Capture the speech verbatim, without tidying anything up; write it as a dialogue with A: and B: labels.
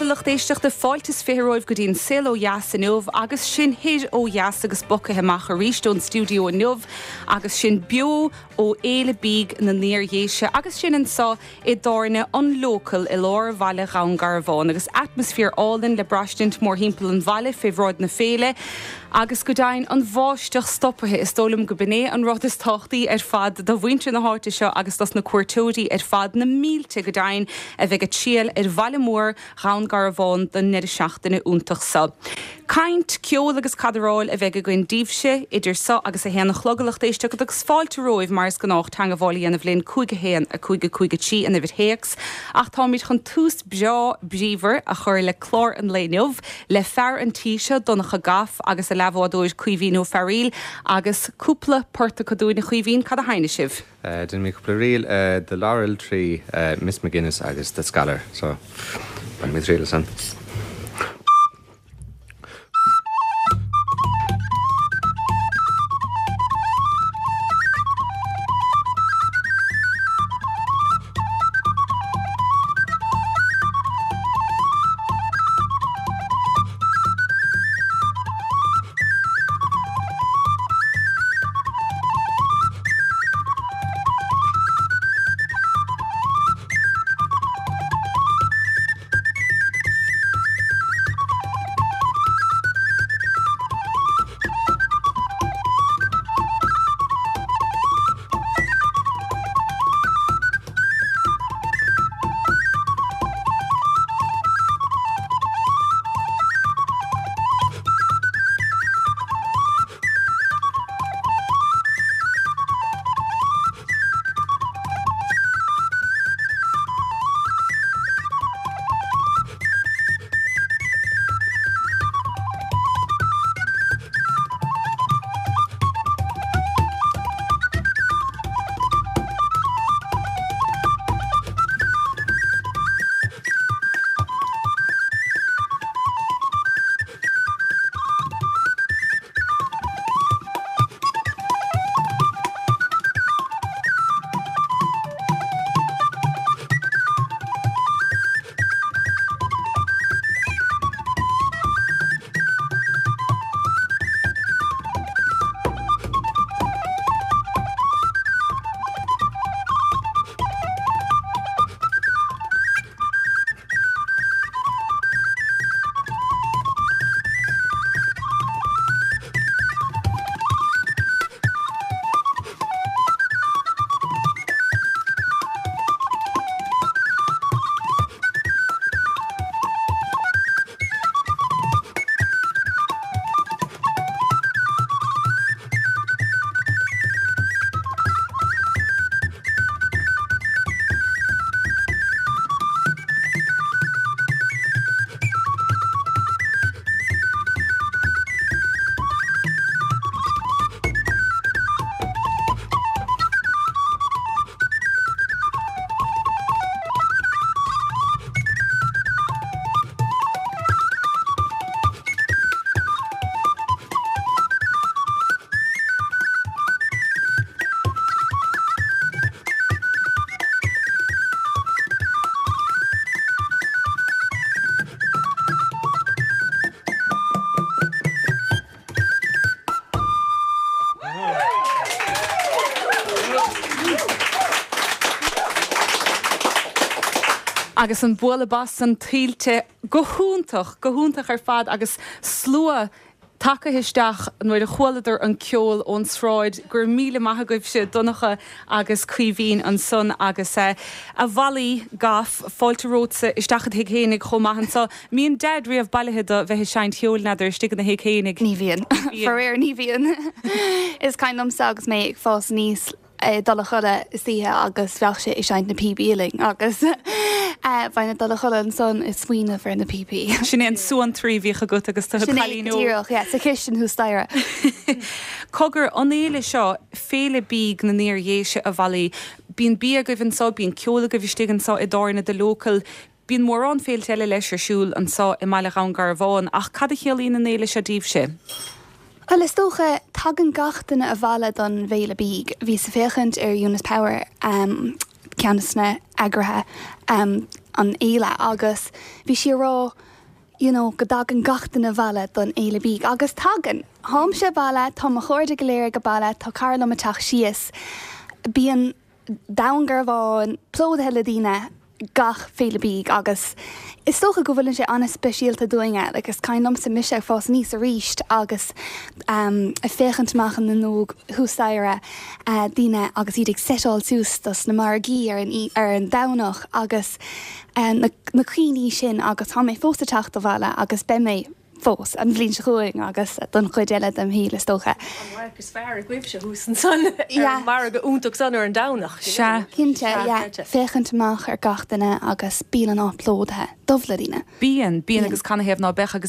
A: lucht éisteachta fáilte is fiche romhaibh go dtí an Saol Ó Dheas inniu agus sinn thoir ó dheas agus bogtha amach arís ón stiúideo inniu agus sinn beo ó Fhéile Bídh na nIar-Dhéise agus sinn anseo i dtábhairne an Local i lár bhaile Dhún Garbhán agus atmaisféar álainn le braistint mórthimpeall an bhaile fé bhráid na féile agus go deimhin an bháisteach stoptha is dóigh liom gurb é an rud is tábhachtaí ar fad do mhuintir na háite seo agus dos na cuairteoirí ar fad na mílte go deimhin a bheidh ag triall ar bhaile mór Dhún Garbhán don ndeireadh seachtaine iontach seo. Caint, ceol agus cadaráil a bheidh againn daoibhse idir seo agus a haon a chlog a lucht éisteachta agus fáilte romhaibh mar is gnách teagmháil a dhéanamh linn cúig a haon a cúig a cúig a trí an uimhir théacs ach táimid chun tús breá bríomhar a chur le clár an lae inniu le fear an tí seo Donncha Goff agus a leathbhádóir Caoimhín Ó Fearaíl agus cúpla port acu dúinn a Chaoimhín cad a sheinneas sibh.
B: Uh, Déanfaidh mé cúpla ríl uh, The Laurel Tree uh, Miss McGuinness agus The Scaller, so bainfidh mé triail as san.
A: Agus an bualadh bos san tuillte go hiontach go hiontach ar fad agus slua tagtha isteach nuair a chualadar an ceol ón sráid gur míle maith agaibhse Donncha agus Caoimhín ansan agus uh, a Mholly Goff fáilte romhatsa isteach i do thigh fhéinig chomh maith anseo. Mbíonn Dad riamh bailithe do bheith ag seinnt ceoil n'fheadar istigh ina thigh fhéinig.
C: Ní bhíonn faraor ní bhíonn. Is cuimhin liomsa agus mé ag fás aníos dul a chodladh istoíche agus bheadh sé ag seinnt na píopaí linn agus bheinn ag dul a chodladh ansan ag smaoineamh ar na píopaí.
A: Sin é an suantraí a bhíodh agat agus tú cailín
C: Díreach sa chistin thuas staighre.
A: Cogar an fhéile seo Féile Bídh na nIar-Dhéise a Mholly, Bíonn bia agaibh anseo, bíonn ceol agaibh istigh anseo i dtábhairne The Local, Bíonn mórán féilte eile leis ar siúl anseo i mbaile Dhún Garbhán, ach cad a chiallaíonn an fhéile seo daoibhse?
C: Well is dócha tagann gach duine abhaile don bhFéile Bídh. Bhíos ag féachaint ar Eunice Power um, ceann de na heagraithe um, an fhéile agus bhí sí ag rá you know, go dtagann gach duine abhaile don fhéile bídh agus tagann. Táimse abhaile tá mo chairde go léir ag baile tá cara liom ag teacht síos. Bíonn Dún Garbhán plódaithe le daoine gach féile bídh agus is dócha go bhfuil sé an-speisialta dúinne, like is cuimhin liomsa mise ag fás aníos arís agus um, ag féachaint amach an fhuinneog thuas staighre uh, daoine agus iad ag setáil suas dos na margaí ar an, ar an Domhnach agus uh, na, na cuimhní sin agus tá mé fós ag teacht abhaile agus beidh mé fós an bhliain seo chugainn agus don chuid eile dem shaol is dócha.
D: Is fearr agaibhse thuas ansan margadh iontach san ar an Domhnach.
A: Se
C: Cinnte féachaint amach ar gach duine agus bíonn an plódaithe dubh le daoine.
A: Bíonn bíonn agus canathaobh ná beadh agus